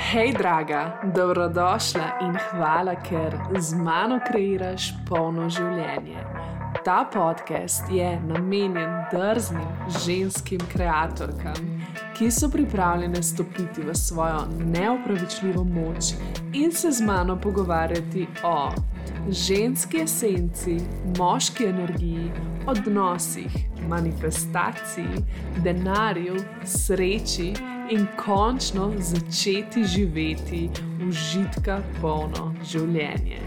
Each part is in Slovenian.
Hej, draga, dobrodošla in hvala, ker z mano kreiraš polno življenje. Ta podcast je namenjen drznim ženskim kreatorkam, ki so pripravljene stopiti v svojo neopravičljivo moč in se z mano pogovarjati o ženski esenci, moški energiji, odnosih, manifestaciji, denarju, sreči in končno začeti živeti užitka polno življenje.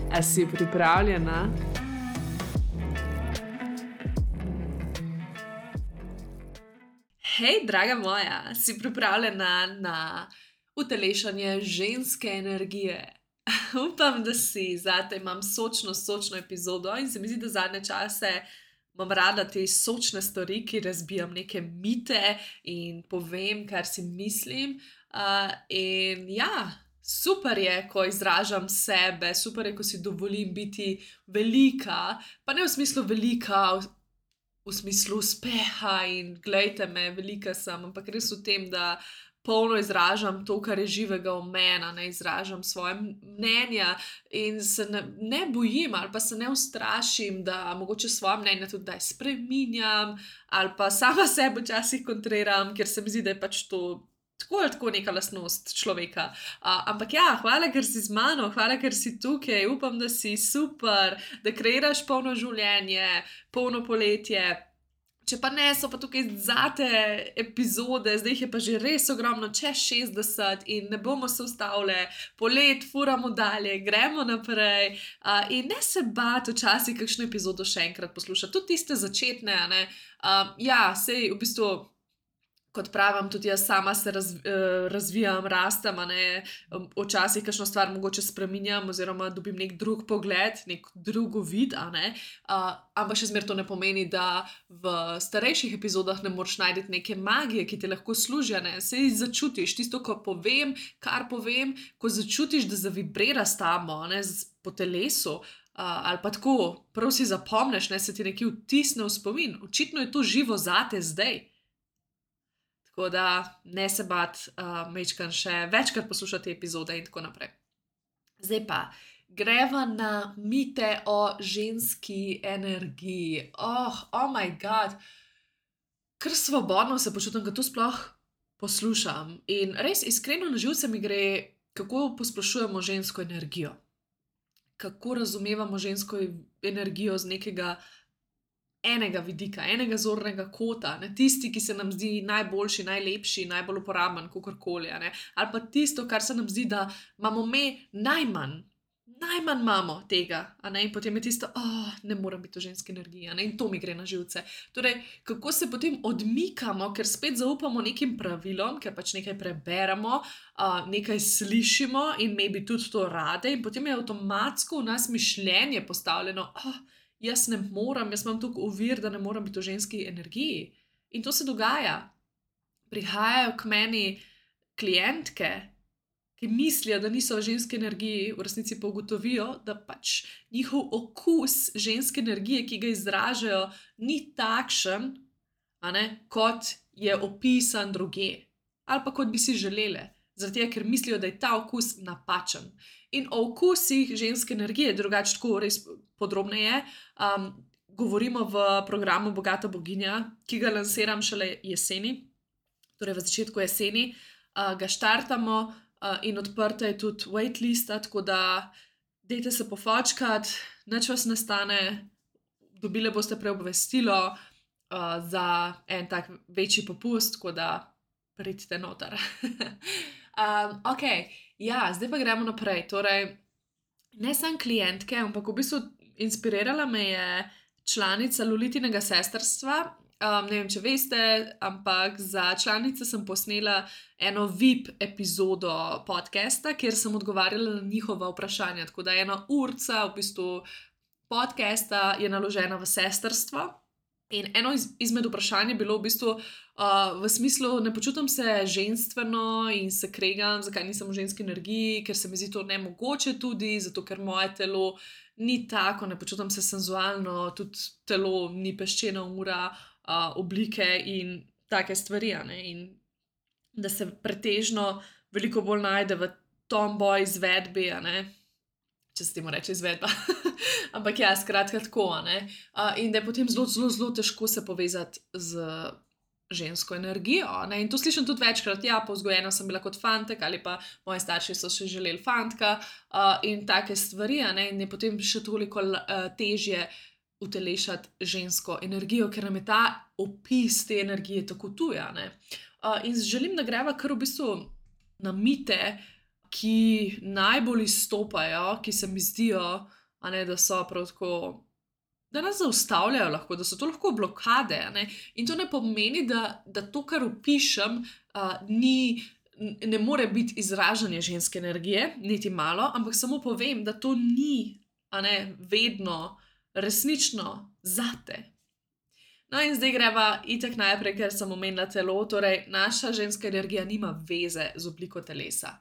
A si pripravljena? Hej, draga moja, si pripravljena na utelešanje ženske energije? Upam, da si. Zate imam sočno epizodo in se mi zdi, da zadnje čase imam rada te sočne stvari, ki razbijam neke mite in povem, kar si mislim. In ja, super je, ko izražam sebe, super je, ko si dovolim biti velika, pa ne v smislu velika, v smislu uspeha in glejte me, velika sem, ampak res v tem, da polno izražam to, kar je živega v meni, ne izražam svoje mnenja in se ne bojim ali pa se ne ustrašim, da mogoče svoje mnenje tudi daj spreminjam ali pa sama sebe včasih kontriram, ker se mi zdi, da je pač to tako ali tako neka lastnost človeka. Ampak ja, hvala, ker si z mano, hvala, ker si tukaj, upam, da si super, da kreiraš polno življenje, polno poletje. Če pa ne, so pa tukaj zate epizode, zdaj jih je pa že res ogromno, čez 60 in ne bomo se ustavili, polet furamo dalje, gremo naprej in ne se bati včasih kakšno epizodo še enkrat poslušati, tudi tiste začetne, ne. Ja, sej v bistvu, kot pravim, tudi jaz sama se razvijam, rastem, ne, včasih kakšno stvar mogoče spreminjam oziroma dobim nek drug pogled, nek drug vid, ne, ampak še zmeraj to ne pomeni, da v starejših epizodah ne moreš najti neke magije, ki te lahko služijo, ne, sej začutiš tisto, ko povem, kar povem, ko začutiš, da zavibrira s tamo, ne, po telesu, ali pa tako, prav si zapomneš, ne, se ti nekaj vtisne v spomin, očitno je to živo zate zdaj. Tako da ne se bati, majčkeno še večkrat poslušati epizode in tako naprej. Zdaj pa, greva na mite o ženski energiji. Oh my god, kar svobodno se počutim, ko to sploh poslušam. In res iskreno na živce mi gre, kako posplošujemo žensko energijo. Kako razumevamo žensko energijo z nekega enega vidika, enega zornega kota, ne, tisti, ki se nam zdi najboljši, najlepši, najbolj uporaben, kakorkoli, ne, ali pa tisto, kar se nam zdi, da imamo najmanj imamo tega, ne, in potem je tisto, ne morem biti v ženski energiji, ne, in to mi gre na živce. Torej, kako se potem odmikamo, ker spet zaupamo nekim pravilom, ker pač nekaj preberemo, nekaj slišimo in maybe tudi to rade in potem je avtomatsko v nas mišljenje postavljeno, jaz ne morem, jaz imam tukaj ovir, da ne morem biti v ženski energiji. In to se dogaja. Prihajajo k meni klientke, ki mislijo, da niso v ženski energiji, v resnici pa ugotovijo, da pač njihov okus ženske energije, ki ga izražajo, ni takšen, kot je opisan drugje. Ali pa kot bi si želele. Zaradi tega, ker mislijo, da je ta okus napačen. In o okusih ženske energije, drugače tako res podrobneje, govorimo v programu Bogata boginja, ki ga lansiram šele jeseni, torej v začetku jeseni, ga štartamo in odprta je tudi waitlista, tako da dajte se pofočkati, nič vas ne stane, dobile boste preobvestilo za en tak večji popust, tako da pridite noter. Okej, ja, zdaj pa gremo naprej. Torej, ne samo klientke, ampak v bistvu inspirirala me je članica Lolitinega sestrstva. Ne vem, če veste, ampak za članice sem posnela eno VIP epizodo podcasta, kjer sem odgovarjala na njihova vprašanja. Tako da 1 urca v bistvu podcasta je naložena v sestrstvo. In eno izmed vprašanj je bilo v bistvu v smislu, ne počutim se ženstveno in se kregam, zakaj nisem v ženski energiji, ker se mi zdi to nemogoče tudi, zato ker moje telo ni tako, ne počutim se senzualno, tudi telo ni peščena ura, oblike in take stvari, in da se pretežno veliko bolj najde v tomboy izvedbi, če se temu reče izvedba. Ampak ja, skratka tako, in da je potem zelo, zelo, zelo težko se povezati z žensko energijo, in to slišim tudi večkrat, ja, povzgojena sem bila kot fantek ali pa moji starši so še želeli fantka, in take stvari, in je potem še toliko težje utelešati žensko energijo, ker nam je ta opis te energije tako tuja, in želim, da greva kar v bistvu na mite, ki najbolj izstopajo, ki se mi zdijo, da so prav tako, da nas zaustavljajo lahko, da so to lahko blokade, in to ne pomeni, da to, kar opišem, ne more biti izražanje ženske energije, niti malo, ampak samo povem, da to ni, vedno resnično zate. No, in zdaj greva itak najprej, ker sem omenila telo, torej naša ženska energija nima veze z obliko telesa.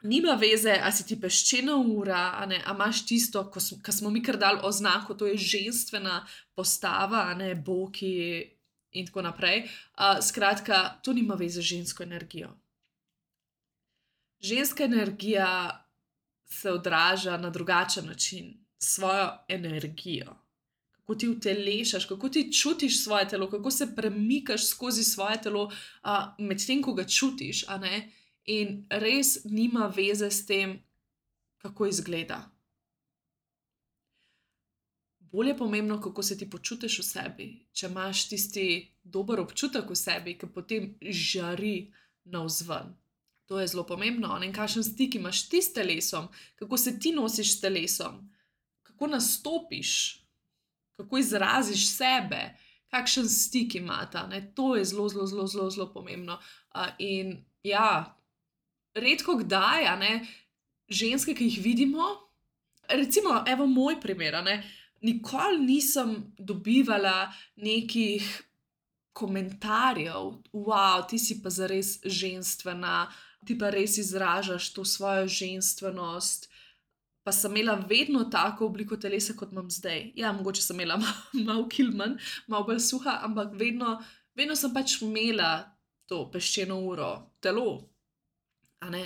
Nima veze, a si ti peščena ura, a imaš tisto, ko smo mi kar dali oznako, to je ženstvena postava, boki in tako naprej. Skratka, to nima veze z žensko energijo. Ženska energija se odraža na drugačen način, s svojo energijo. Kako ti utelešaš, kako ti čutiš svoje telo, kako se premikaš skozi svoje telo, medtem ko ga čutiš, in res nima veze s tem, kako izgleda. Bolj je pomembno, kako se ti počutiš v sebi, če imaš tisti dober občutek v sebi, ki potem žari navzven. To je zelo pomembno, in kakšen stik imaš ti s telesom, kako se ti nosiš s telesom, kako nastopiš, kako izraziš sebe, kakšen stik imata, to je zelo, zelo, zelo, zelo, zelo pomembno. In ja, redko kdaj, ženske, ki jih vidimo, recimo, evo moj primer, nikoli nisem dobivala nekih komentarjev, wow, ti si pa zares ženstvena, ti pa res izražaš to svojo ženstvenost, pa sem imela vedno tako obliko telesa, kot imam zdaj. Ja, mogoče sem imela malo kil manj, malo bolj suha, ampak vedno sem pač imela to peščeno uro, telo,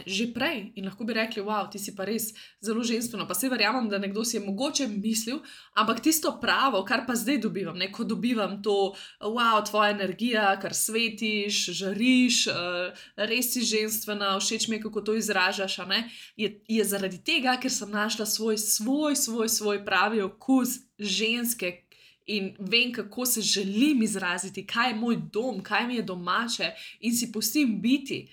že prej. In lahko bi rekli, wow, ti si pa res zelo ženstveno, pa saj verjamem, da nekdo si je mogoče mislil, ampak tisto pravo, kar pa zdaj dobivam, ko dobivam to, wow, tvoja energija, kar svetiš, žariš, res si ženstvena, všeč mi je, kako to izražaš, je zaradi tega, ker sem našla svoj pravi okus ženske in vem, kako se želim izraziti, kaj je moj dom, kaj mi je domače in si pustim biti,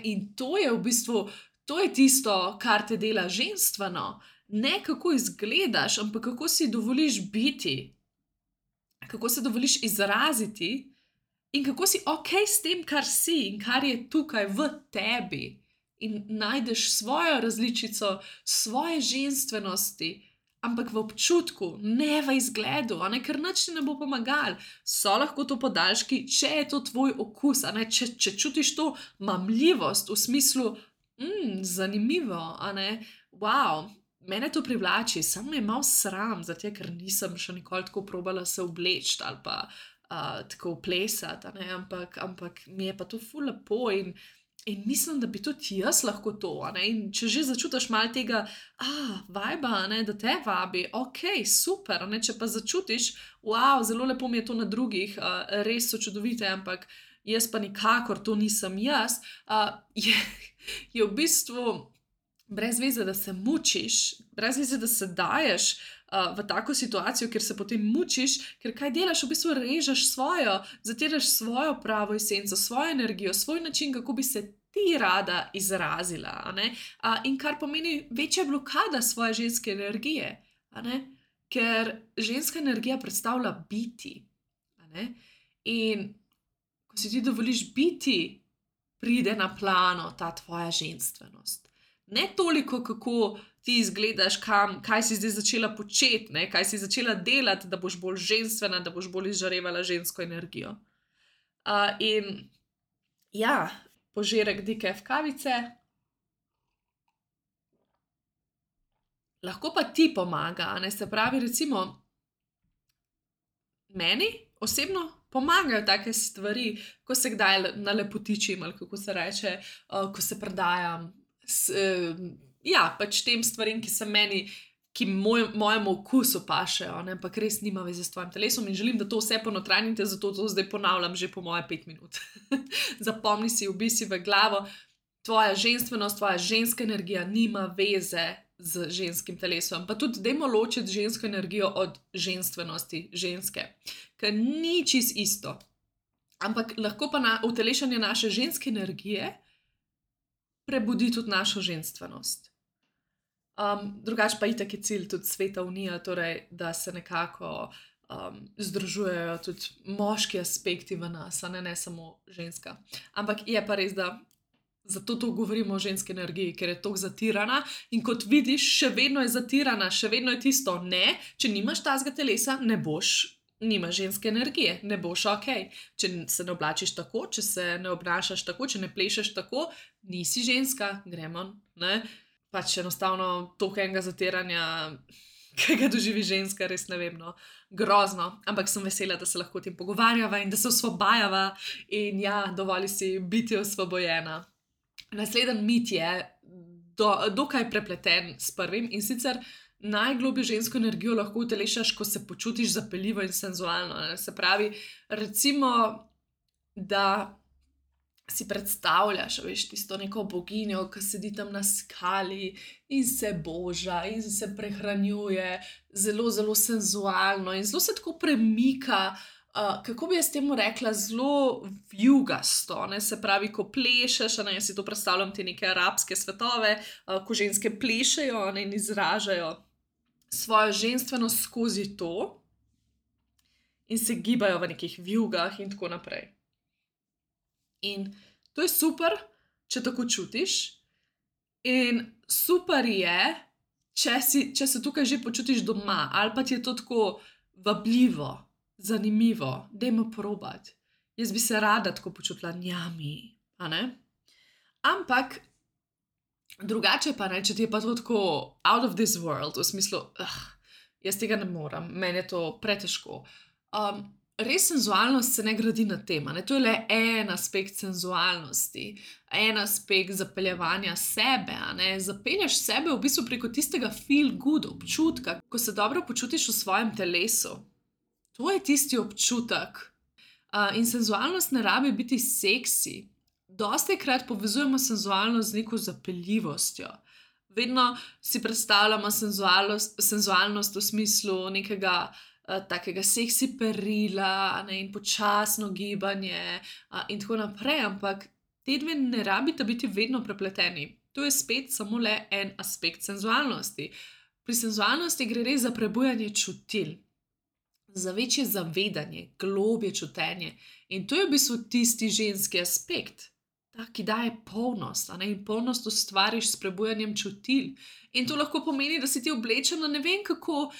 in to je v bistvu, to je tisto, kar te dela ženstveno, ne kako izgledaš, ampak kako si dovoliš biti, kako se dovoliš izraziti in kako si okej s tem, kar si in kar je tukaj v tebi in najdeš svojo različico svoje ženstvenosti, ampak v občutku, ne v izgledu, ker nič ti ne bo pomagalo. So lahko to podaljški, če je to tvoj okus, če čutiš to mamljivost v smislu, zanimivo, wow, mene to privlači, samo me je malo sram, zato ker nisem še nikoli tako probala se obleči ali pa tako plesati, ampak mi je pa to ful lepo in mislim, da bi tudi jaz lahko to, in če že začutiš malo tega, vajba, da te vabi, okej, super, če pa začutiš, wow, zelo lepo mi je to na drugih, res so čudovite, ampak jaz pa nikakor to nisem jaz, je v bistvu brez veze, da se mučiš, brez veze, da se daješ v tako situacijo, kjer se potem mučiš, ker kaj delaš, v bistvu režeš svojo, zatiraš svojo pravo esenco, svojo energijo, svoj način, kako bi se ti rada izrazila, in kar pomeni večja blokada svoje ženske energije, ker ženska energija predstavlja biti, in ko si ti dovoliš biti, pride na plano ta tvoja ženstvenost. Ne toliko, kako ti izgledaš, kaj si zdaj začela početi, kaj si začela delati, da boš bolj ženstvena, da boš bolj izžarevala žensko energijo. In ja, požirek decaf kavice. Lahko pa ti pomaga, se pravi, recimo, meni osebno pomagajo take stvari, ko se kdaj nalepotičim, ali kako se reče, ko se predajam. Ja, pač tem stvarim, ki se meni, ki mojemu okusu pašejo, ampak res nima veze s tvojim telesom in želim, da to vse ponotranjite, zato to zdaj ponavljam že po moje 5 minut. Zapomni si, vbi si v glavo, tvoja ženstvenost, tvoja ženska energija nima veze z ženskim telesom. Pa tudi dajmo ločiti žensko energijo od ženstvenosti ženske, ker ni čist isto. Ampak lahko pa utelešanje naše ženske energije prebudi tudi našo ženstvenost. Drugače pa itak je cilj tudi Sveta unija, torej, da se nekako združujejo tudi moški aspekti v nas, ne samo ženska. Ampak je pa res, da zato to govorimo o ženski energiji, ker je toliko zatirana in kot vidiš, še vedno je zatirana, še vedno je tisto, ne, če nimaš tazga telesa, nimaš ženske energije, ne boš ok. Če se ne oblačiš tako, če se ne obnašaš tako, če ne plešeš tako, nisi ženska, gremo, ne. Pač enostavno toliko enega zatiranja, ki ga doživi ženska, res ne vem, no, grozno. Ampak sem vesela, da se lahko o tem pogovarjava in da se osvobajava in ja, dovoli si biti osvobojena. Naslednji mit je dokaj prepleten s prvim in sicer najglobljo žensko energijo lahko utelešaš, ko se počutiš zapeljivo in senzualno. Ne? Se pravi, recimo, da si predstavljaš, veš, tisto neko boginjo, ki sedi tam na skali in se boža in se prehranjuje zelo, zelo senzualno in zelo se tako premika, kako bi jaz temu rekla, zelo vjugasto, ne? Se pravi, ko plešeš, ne, jaz si to predstavljam te neke arabske svetove, ko ženske plešejo, ne, in izražajo svojo ženstvenost skozi to in se gibajo v nekih vjugah in tako naprej. In to je super, če tako čutiš, in super je, če se tukaj že počutiš doma, ali pa ti je to tako vabljivo, zanimivo, dajmo probati. Jaz bi se rada tako počutila njami, a ne? Ampak drugače pa ne, če ti je pa to tako out of this world, v smislu, jaz tega ne morem, meni je to pretežko. Res senzualnost se ne gradi na tem, ne? To je le en aspekt senzualnosti, en aspekt zapeljevanja sebe, ne? Zapelješ sebe v bistvu preko tistega feel good občutka, ko se dobro počutiš v svojem telesu. To je tisti občutek. In senzualnost ne rabi biti seksi. Dostikrat povezujemo senzualnost z neko zapeljivostjo. Vedno si predstavljamo senzualnost v smislu nekega takega seksi perila, ne, in počasno gibanje in tako naprej, ampak te dve ne rabita biti vedno prepleteni. To je spet samo le en aspekt senzualnosti. Pri senzualnosti gre res za prebujanje čutil, za večje zavedanje, globje čutenje. In to je v bistvu tisti ženski aspekt, ki daje polnost, ne? In polnost ustvariš s prebujanjem čutil. In to lahko pomeni, da si ti oblečena, ne vem kako,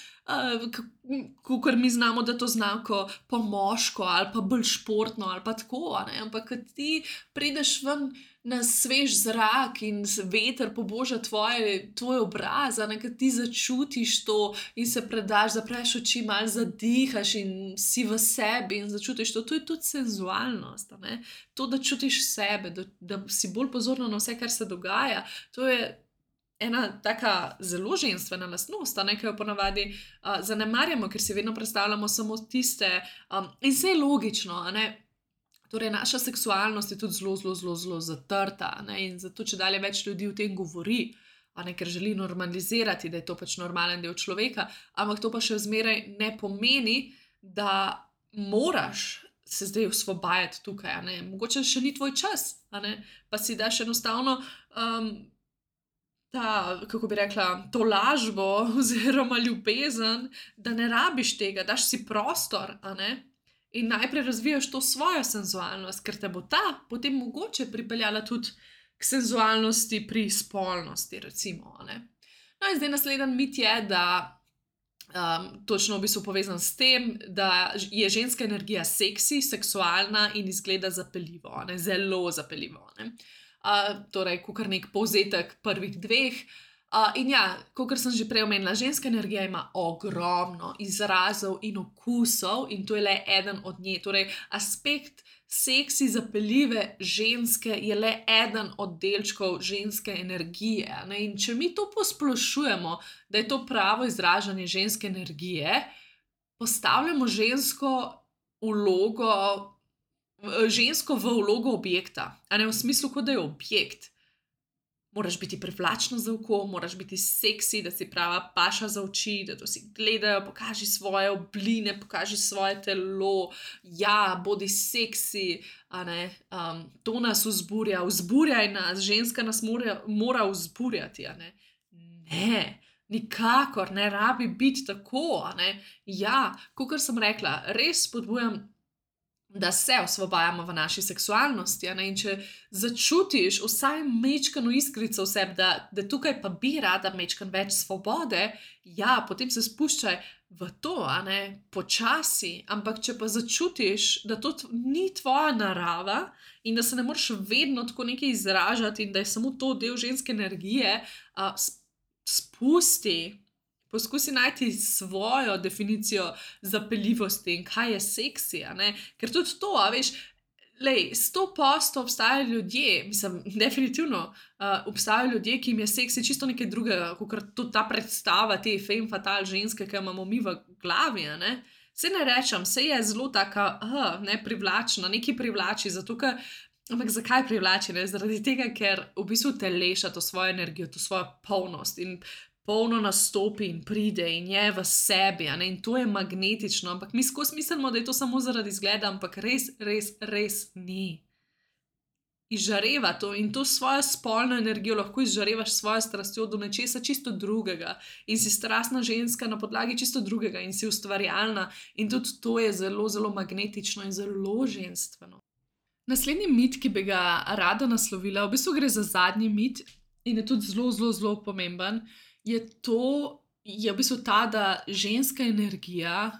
kakor mi znamo, da to znako po moško ali pa bolj športno ali pa tako, ne? Ampak kad ti prideš ven na svež zrak in veter poboža tvoj obraz, ne? Kad ti začutiš to in se predaš, zapreš oči, malo zadihaš in si v sebi in začutiš to, to je tudi senzualnost, ne? To, da čutiš sebe, da si bolj pozorna na vse, kar se dogaja, to je ena taka zelo ženstvena lastnost, ne, ki jo ponavadi zanemarjamo, ker si vedno predstavljamo samo tiste, in vse je logično, ne. Torej, naša seksualnost je tudi zelo, zelo, zelo, zelo zatrta, ne, in zato čedalje več ljudi o tem govori, ne, ker želi normalizirati, da je to pač normalen del človeka, ampak to pa še zmeraj ne pomeni, da moraš se zdaj osvobajati tukaj, ne. Mogoče še ni tvoj čas, ne, pa si daš enostavno kako bi rekla, to lažbo oziroma ljubezen, da ne rabiš tega, daš si prostor, ne? In najprej razvijaš to svojo senzualnost, ker te bo ta potem mogoče pripeljala tudi k senzualnosti pri spolnosti, recimo, ne? No in zdaj naslednji mit je, da točno v bistvu povezan s tem, da je ženska energija seksi, seksualna in izgleda zapeljivo, ne? Zelo zapeljivo, ne? Torej, kakor nek povzetek prvih dveh, In ja, kot sem že prej omenila, ženska energija ima ogromno izrazov in okusov, in to je le eden od nje. Torej, aspekt seksi, zapeljive ženske je le eden od delčkov ženske energije. Ne? In če mi to posplošujemo, da je to pravo izražanje ženske energije, postavljamo žensko v vlogo objekta, a ne v smislu, kot da je objekt. Moraš biti privlačna za oko, moraš biti seksi, da si prava paša za oči, da to si gledajo, pokaži svoje obline, pokaži svoje telo, ja, bodi seksi, a ne, to nas vzburjaj nas, ženska nas mora vzburjati, a ne. Ne, nikakor ne rabi biti tako, a ne. Ja, kakor sem rekla, res spodbujam, da se osvobajamo v naši seksualnosti, a ne, in če začutiš vsaj majčkeno iskrico v sebi, da tukaj pa bi rada majčkeno več svobode, ja, potem se spuščaj v to, a ne, počasi, ampak če pa začutiš, da to ni tvoja narava in da se ne moreš vedno tako nekaj izražati in da je samo to del ženske energije, spusti. Poskusi najti svojo definicijo zapeljivosti in kaj je seksi, a ne? Ker tudi to, a veš, 100% obstajajo ljudje, mislim, definitivno obstajajo ljudje, ki jim je seksi čisto nekaj drugega, kot tudi ta predstava te femme fatale ženske, ki jo imamo mi v glavi, a ne? Saj ne rečem, saj je zelo taka, privlačna, nekaj privlači, zato ker, ampak zakaj privlači, ne? Zaradi tega, ker v bistvu teleša to svojo energijo, to svojo polnost in polno nastopi in pride in je v sebi, a ne, in to je magnetično, ampak mi skozi mislimo, da je to samo zaradi izgleda, ampak res ni. Izžareva to in to svojo spolno energijo lahko izžarevaš s svojo strastjo do nečesa čisto drugega in si strastna ženska na podlagi čisto drugega in si ustvarjalna in tudi to je zelo, zelo magnetično in zelo ženstveno. Naslednji mit, ki bi ga rada naslovila, v bistvu gre za zadnji mit in je tudi zelo, zelo, zelo pomemben, je v bistvu ta, da ženska energija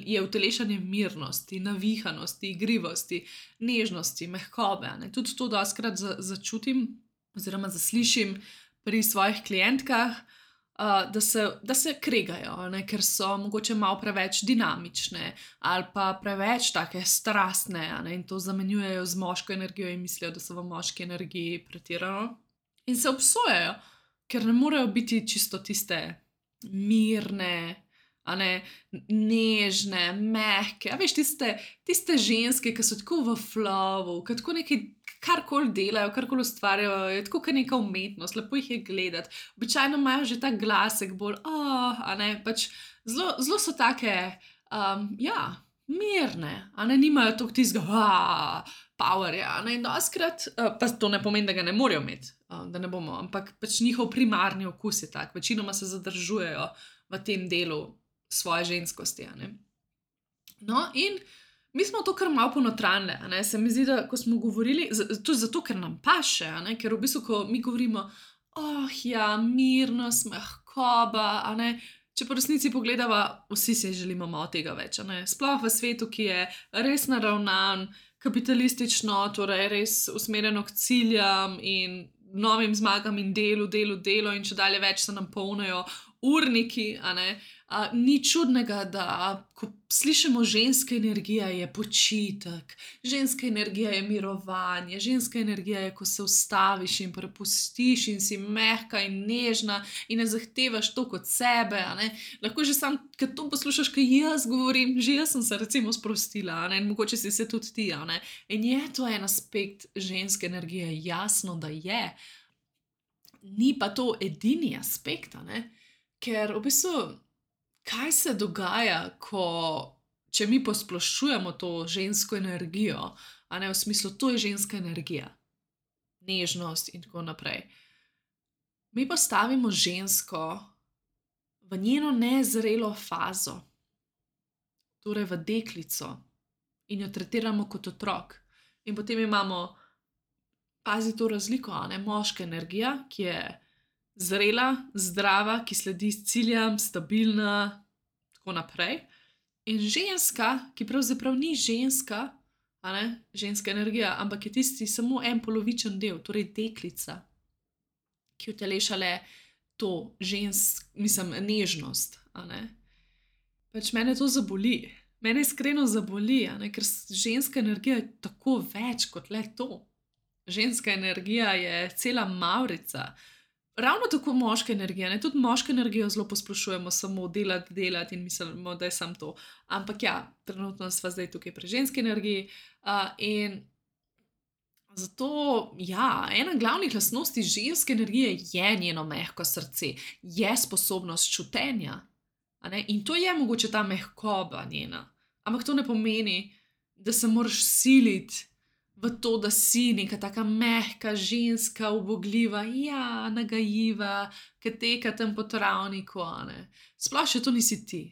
je utelešanje mirnosti, navihanosti, igrivosti, nežnosti, mehkobe. Ne? Tudi to dostikrat začutim oziroma zaslišim pri svojih klientkah, da se kregajo, ne? Ker so mogoče malo preveč dinamične ali pa preveč take strastne, ne? In to zamenjujejo z moško energijo in mislijo, da so v moški energiji pretirano. In se obsojajo, ker ne morejo biti čisto tiste mirne, a ne, nežne, mehke, a veš, tiste ženske, ki so tako v flowu, ki tako nekaj, karkoli delajo, karkoli ustvarjajo, je tako kot neka umetnost, lepo jih je gledati. Običajno imajo že ta glasek bolj, a ne, pač zelo so take, mirne, a ne, nimajo toliko tistega, powerja, a ne, in dostikrat, pa to ne pomeni, da ga ne morejo imeti, da ne bomo, ampak pač njihov primarni okus je tak, večinoma se zadržujejo v tem delu svoje ženskosti, a ne. No, in mi smo to kar malo ponotranile, a ne, se mi zdi, da ko smo govorili, tudi zato, ker nam paše, a ne, ker v bistvu, ko mi govorimo, mirnost, mehkoba, a ne, če po resnici pogledava, vsi si želimo malo tega več, a ne, sploh v svetu, ki je res naravnan, kapitalistično, torej res usmerjeno k ciljem in novim zmagam in delu in če dalje več se nam polnijo urniki, a ne. Ni čudnega, da ko slišimo ženska energija je počitek, ženska energija je mirovanje, ženska energija je, ko se ustaviš in prepustiš in si mehka in nežna in ne zahtevaš to kot sebe, a ne. Lahko že sam, kad to poslušaš, kaj jaz govorim, že jaz sem se recimo sprostila, a ne, in mogoče si se tudi ti, a ne. In je to en aspekt ženske energije, jasno, da je. Ni pa to edini aspekt, a ne. Ker v bistvu, kaj se dogaja, če mi posplošujemo to žensko energijo, a ne, v smislu, to je ženska energija, nežnost in tako naprej. Mi postavimo žensko v njeno nezrelo fazo, torej v deklico, in jo tretiramo kot otrok. In potem imamo, pazi to razliko, a ne, moška energija, ki je zrela, zdrava, ki sledi ciljem, stabilna, tako naprej. In ženska, ki pravzaprav ni ženska, a ne, ženska energija, ampak je tisti samo en polovičen del, torej deklica, ki utelešale to nežnost. A ne? Pač mene to zaboli. Mene iskreno zaboli, a ne? Ker ženska energija je tako več kot le to. Ženska energija je cela mavrica. Ravno tako moška energija, ne? Tudi moško energijo zelo posplošujemo, samo delati in mislimo, da je samo to. Ampak ja, trenutno sva zdaj tukaj pri ženski energiji. In zato, ja, ena glavnih lastnosti ženske energije je njeno mehko srce, je sposobnost čutenja. A ne? In to je mogoče ta mehkoba njena. Ampak to ne pomeni, da se moraš siliti v to, da si neka taka mehka, ženska, ubogljiva, ja, nagajiva, ki teka tam po travniku, a ne. Sploh še to nisi ti,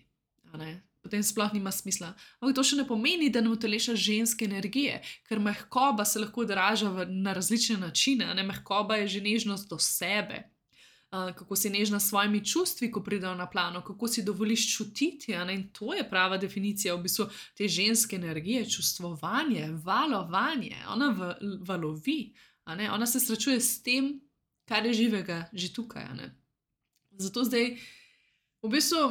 a ne. Potem sploh nima smisla. Ampak to še ne pomeni, da ne utelešaš ženske energije, ker mehkoba se lahko odraža na različne načine, a ne. Mehkoba je že nežnost do sebe. Kako si nežna s svojimi čustvi, ko pridejo na plano, kako si dovoliš čutiti, a ne. In to je prava definicija v bistvu te ženske energije, čustvovanje, valovanje. Ona valovi, a ne. Ona se srečuje s tem, kar je živega že tukaj, a ne. Zato zdaj, v bistvu,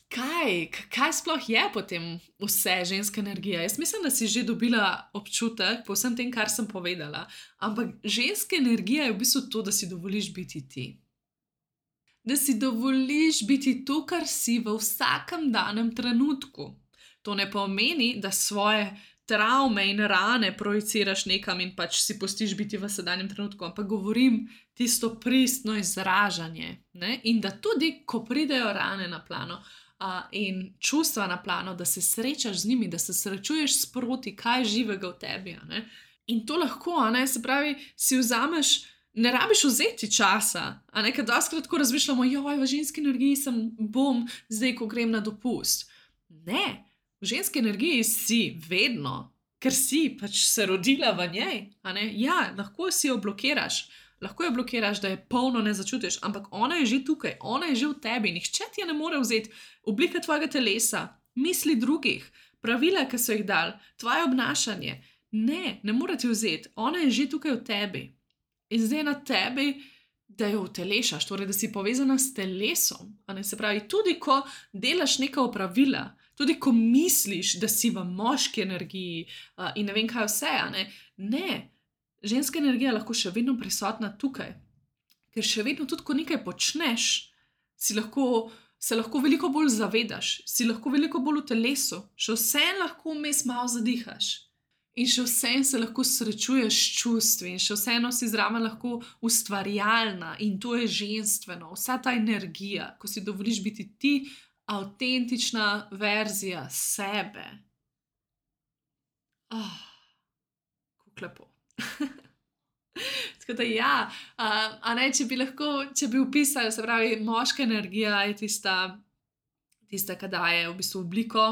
kaj sploh je potem vse ženska energija? Jaz mislim, da si že dobila občutek po vsem tem, kar sem povedala. Ampak ženska energija je v bistvu to, da si dovoliš biti ti. Da si dovoliš biti to, kar si v vsakem danem trenutku. To ne pomeni, da svoje travme in rane projiciraš nekam in pač si pustiš biti v sedanjem trenutku, ampak govorim tisto pristno izražanje. Ne? In da tudi, ko pridejo rane na plano in čustva na plano, da se srečaš z njimi, da se srečuješ sproti, kaj je živega v tebi. A ne? In to lahko, a ne, se pravi, si vzameš. Ne rabiš vzeti časa, a ne, ker dostikrat tako razmišljamo, joj, v ženski energiji bom zdaj, ko grem na dopust. Ne, v ženski energiji si vedno, ker si pač se rodila v njej, a ne. Ja, lahko si jo blokiraš, da je polno ne začutiš, ampak ona je že tukaj, ona je že v tebi, nihče ti je ne more vzeti. Oblika tvojega telesa, misli drugih, pravila, ki so jih dali, tvoje obnašanje. Ne more ti vzeti, ona je že tukaj v tebi. In zdaj na tebi, da jo utelešaš, torej da si povezana s telesom. A ne? Se pravi, tudi ko delaš neka opravila, tudi ko misliš, da si v moški energiji in ne vem kaj vse, a ne. Ne, ženska energija je lahko še vedno prisotna tukaj. Ker še vedno tudi, ko nekaj počneš, se lahko veliko bolj zavedaš, si lahko veliko bolj v telesu, še vseeno lahko vmes malo zadihaš. In še vseeno se lahko srečuješ s čustvi in še vseeno si zraven lahko ustvarjalna in to je ženstveno. Vsa ta energija, ko si dovoliš biti ti, avtentična verzija sebe. Kako lepo. Tako da ja, a ne, če bi opisali, se pravi, moška energija je tista, ki daje v bistvu obliko,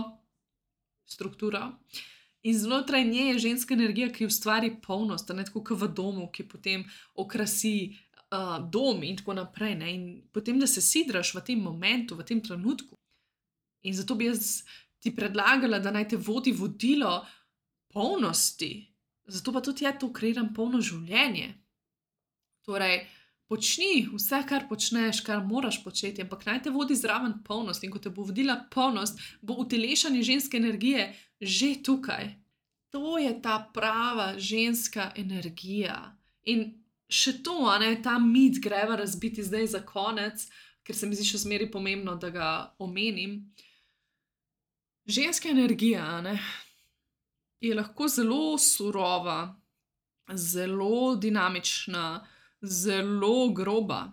strukturo. In znotraj nje je ženska energija, ki ustvari polnost, ne, tako kot v domu, ki potem okrasi dom in tako naprej. Ne, in potem, da se sidraš v tem momentu, v tem trenutku. In zato bi jaz ti predlagala, da naj te vodi vodilo polnosti. Zato pa tudi to kreiram polno življenje. Torej, počni vse, kar počneš, kar moraš početi, ampak naj te vodi zraven polnost. In ko te bo vodila polnost, bo utelešanje ženske energije že tukaj. To je ta prava ženska energija. In še to, a ne, ta mit greva razbiti zdaj za konec, ker se mi zdi še zmeraj pomembno, da ga omenim. Ženska energija, a ne, je lahko zelo surova, zelo dinamična, zelo groba.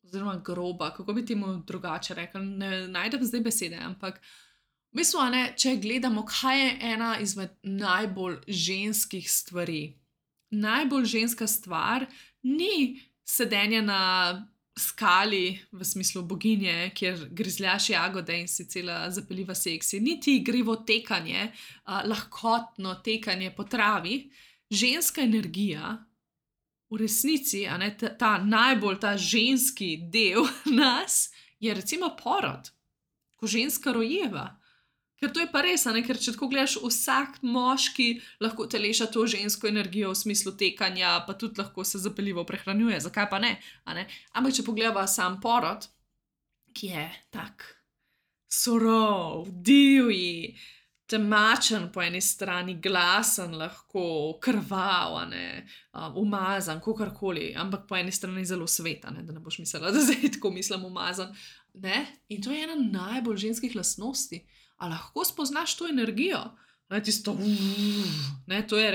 Oziroma groba, kako bi temu drugače rekla, ne najdem zdaj besede, ampak v bistvu, ne, če gledamo, kaj je ena izmed najbolj ženskih stvari. Najbolj ženska stvar ni sedenje na skali, v smislu boginje, kjer grizljaš jagode in si cela zapeljiva seksi, niti igrivo tekanje, lahkotno tekanje po travi. Ženska energija, v resnici, a ne, ta ženski del nas, je recimo porod, ko ženska rojeva. Ker to je pa res, ker če tako gledaš, vsak moški lahko teleša to žensko energijo v smislu tekanja, pa tudi lahko se zapeljivo prehranjuje, zakaj pa ne? Ampak če pogledava sam porod, ki je tak surov, divji, temačen po eni strani, glasen, lahko krvav, umazan, kakorkoli, ampak po eni strani zelo svet, da ne boš mislila, da zdaj tako mislim umazan. In to je ena najbolj ženskih lastnosti. A lahko spoznaš to energijo? Tisto, to je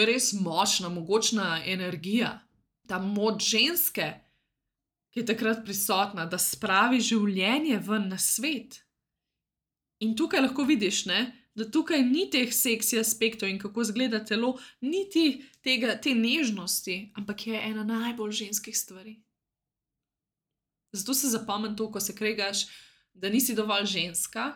res močna, mogočna energija. Ta moč ženske, ki je takrat prisotna, da spravi življenje ven na svet. In tukaj lahko vidiš, da tukaj ni teh seksi aspektov in kako izgleda telo, niti te nežnosti, ampak je ena najbolj ženskih stvari. Zato se zapomni to, ko se kregaš, da nisi dovolj ženska,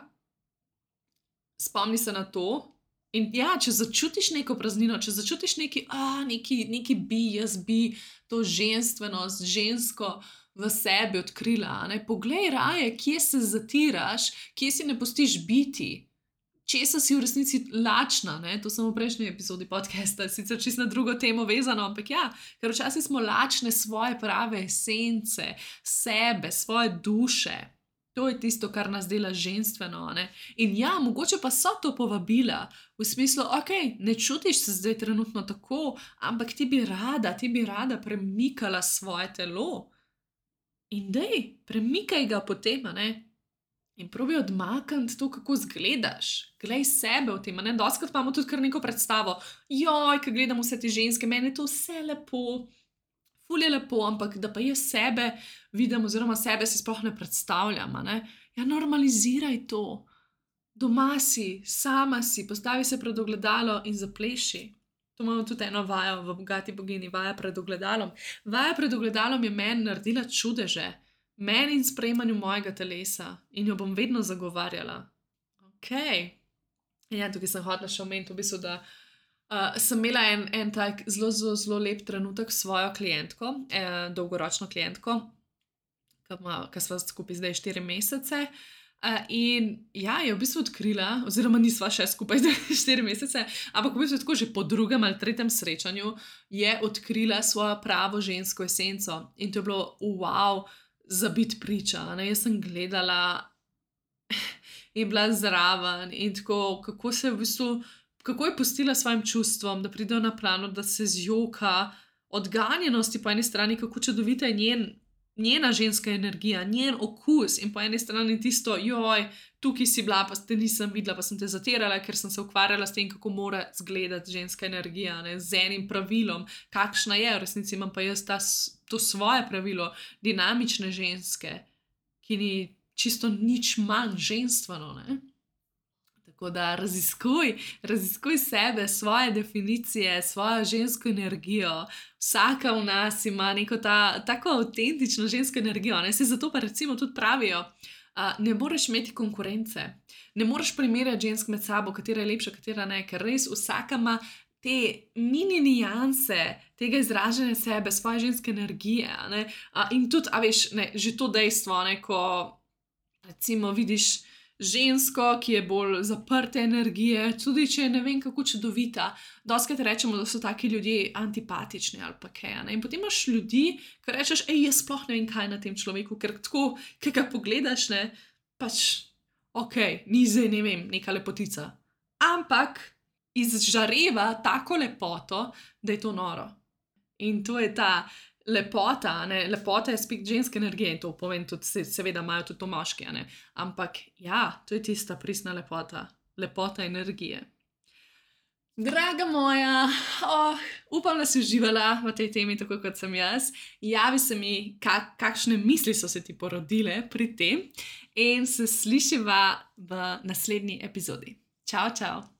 spomni se na to in če začutiš neko praznino, če začutiš neki jaz bi to ženstvenost, žensko v sebi odkrila, poglej raje, kje se zatiraš, kje si ne pustiš biti, česa si v resnici lačna, to sem v prejšnji epizodi podcasta, sicer čisto na drugo temo vezano, ampak ker včasih smo lačne svoje prave esence, sebe, svoje duše. To je tisto, kar nas dela ženstveno. In mogoče pa so to povabila v smislu, ne čutiš se zdaj trenutno tako, ampak ti bi rada premikala svoje telo. In premikaj ga potem, in probi odmakniti to, kako izgledaš. Glej sebe v tem, Dostikrat imamo tudi kar neko predstavo. Ko gledam vse te ženske, meni je to vse lepo, ful je lepo, ampak da pa jaz sebe vidim oziroma sebe si sploh ne predstavljam. Normaliziraj to. Doma si, sama si, postavi se pred ogledalo in zapleši. To imamo tudi eno vajo v Bogati bogini, vaja pred ogledalom. Vaja pred ogledalom je meni naredila čudeže. Meni in sprejemanju mojega telesa. In jo bom vedno zagovarjala. Tukaj sem hotela še omeniti v bistvu, da sem imela en tak zelo, zelo, zelo lep trenutek s svojo klientko, dolgoročno klientko, ki sva skupaj zdaj 4 mesece. In je v bistvu odkrila, oziroma nisva še skupaj zdaj 4 mesece, ampak v bistvu tako že po 2. ali 3. srečanju je odkrila svojo pravo žensko esenco. In to je bilo za biti priča. Jaz sem gledala in bila zraven in tako, kako je pustila svojim čustvom, da pridejo na plano, da se zjoka od ganjenosti po eni strani, kako čudovita je njena ženska energija, njen okus in po eni strani tisto, tukaj si bila, pa te nisem videla, pa sem te zatirala, ker sem se ukvarjala s tem, kako mora izgledati ženska energija, z enim pravilom, kakšna je, v resnici imam pa jaz to svoje pravilo, dinamične ženske, ki ni čisto nič manj ženstveno, Tako da raziskuj sebe, svoje definicije, svojo žensko energijo. Vsaka v nas ima neko tako avtentično žensko energijo. Se zato pa recimo tudi pravijo, ne moreš imeti konkurence. Ne moreš primerjati žensk med sabo, katera je lepša, katera ne, ker res vsaka ima te mini nianse tega izražanja sebe, svoje ženske energije. In tudi, že to dejstvo, ko recimo vidiš žensko, ki je bolj zaprte energije, tudi če je ne vem kako čudovita. Dostikrat rečemo, da so taki ljudje antipatični ali pa kaj. In potem imaš ljudi, ki rečeš, jaz sploh ne vem, kaj na tem človeku, ker tako, ki ga pogledaš, ni zdaj, ne vem, neka lepotica. Ampak izžareva tako lepoto, da je to noro. In to je ta lepota, lepota je spet ženske energije in to povem tudi, seveda imajo tudi to moški, ampak to je tista pristna lepota energije. Draga moja, upam, da si uživala v tej temi, tako kot sem jaz. Javi se mi, kakšne misli so se ti porodile pri tem in se slišiva v naslednji epizodi. Čau, čau!